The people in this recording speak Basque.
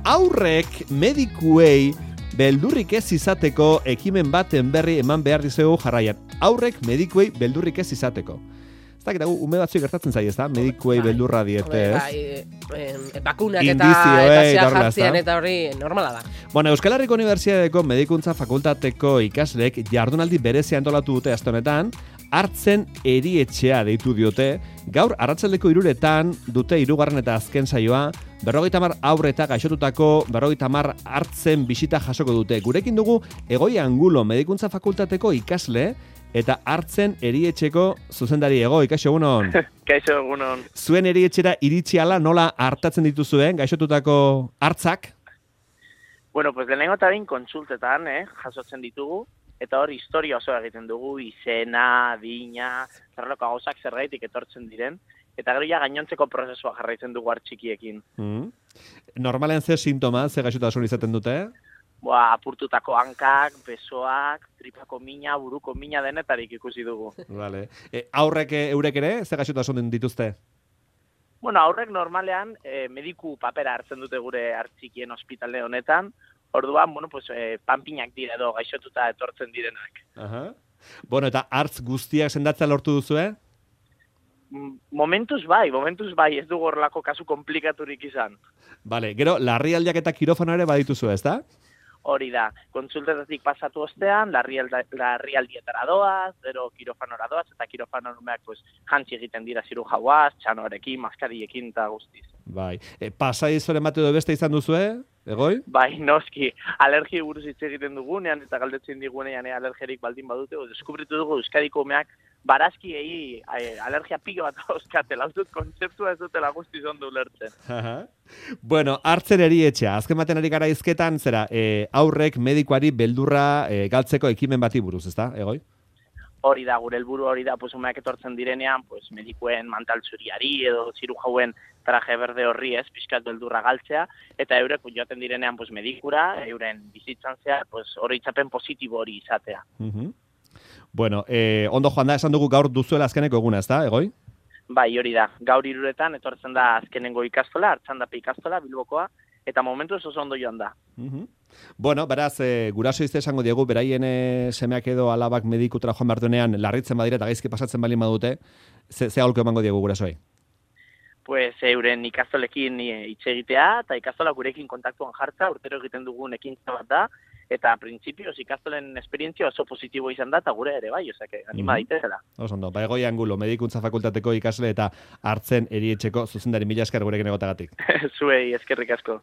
aurrek medikuei beldurrik ez izateko ekimen baten berri eman behar dizuegu jarraian. Aurrek medikuei beldurrik ez izateko. Ez dakit, ume batzuek gertatzen zaie, ez da? Medikuei beldurra diete, ez? Bakunak Indizio, eta jartzen eta hori normala da. Bueno, Euskal Herriko Unibertsitateko Medikuntza Fakultateko ikasleek jardunaldi berezia antolatu dute aste honetan, hartzen erietxea deitu diote. Gaur arratsaldeko 3:00 dute 3. eta azken saioa. 50 haur eta gaixotutako 50 hartzen bisita jasoko dute. Gurekin dugu Egoi Angulo Medikuntza Fakultateko ikasle eta hartzen erietxeko zuzendari. Egoi, kaixo egunon. Kaixo egunon. Zuen erietxera iritsi ala nola hartatzen dituzuen gaixotutako hartzak? Bueno, pues lehenengo eta behin kontsultetan, jasotzen ditugu, eta hor historia oso egiten dugu, izena, adina, zerreloko gauzak zergaitik etortzen diren, eta gero ja gainontzeko prozesua jarraitzen dugu hartxikiekin. Normalen ze sintoma, ze gaixotasun izaten dute? Apurtutako hankak, besoak, tripako mina, buruko mina denetarik ikusi dugu. Vale. Aurrek eurek ere, ze gaixotasun dituzte? Bueno, aurrek normalean mediku papera hartzen dute gure hartxikien ospitale honetan, orduan, bueno, pues, panpinak dira edo gaixotuta etortzen direnak. Aha. Bueno, eta hartz guztiak sendatzea lortu duzue? Momentuz bai, ez dugu horrelako kasu komplikaturik izan. Vale, gero, larrialdiak eta kirofano ere badituzu, ez da? Hori da, kontsultetatik pasatu ostean, larrialdietara doaz, gero kirofanora doaz, eta kirofano numeak pues, jantzi egiten dira zirujauaz, txanorekin, maskariekin eta guztiz. Bai, pasai zoren bat edo beste izan duzue, Egoi? Bai, noski, alergi buruz hitz egiten dugunean, eta galdetzen digunean alergerik baldin badute, deskubritu dugu Euskadiko umeak barazkiei alergia pilo bat dauzkatela, dut kontzeptua ez dutela guztiz ondo ulertzen. Bueno, hartzen erietxea, azken baten ari gara hizketan, zera, aurrek medikuari beldurra galtzeko ekimen bati buruz, ezta, Egoi? Hori da, gure helburu hori da, pues, umeak etortzen direnean, pues, medikuen mantaltzuriari edo zirujauen traje berde horri ez, pixkat beldurra galtzea, eta eurek joaten direnean pues, medikura, euren bizitzan zehar, pues, oroitzapen positibo hori izatea. Bueno, ondo joan da, esan dugu gaur duzuela azkeneko eguna, ez da, Egoi? Bai, hori da, gaur 3:00 etortzen da azkenengo ikastola, Artxandape ikastola, Bilbokoa, eta momentu oso ondo joan da. Bueno, beraz, guraso izte esango diegu, beraien semeak edo alabak medikutara joan behar duenean, larritzen badira eta gaizki pasatzen balin badute, ze aholko emango diegu gurasoei? Pues euren ikastolekin hitz egitea, eta ikastola gurekin kontaktuan jartza, urtero egiten dugun ekintza bat da, eta printzipioz ikastolen esperientzia oso positibo izan da, eta gure ere bai, osake, anima daitezela. Oso ondo, Egoi Angulo, Medikuntza Fakultateko ikasle eta hartzen erietxeko zuzendari, mila esker gurekin egotagatik. Zuei, eskerrik asko.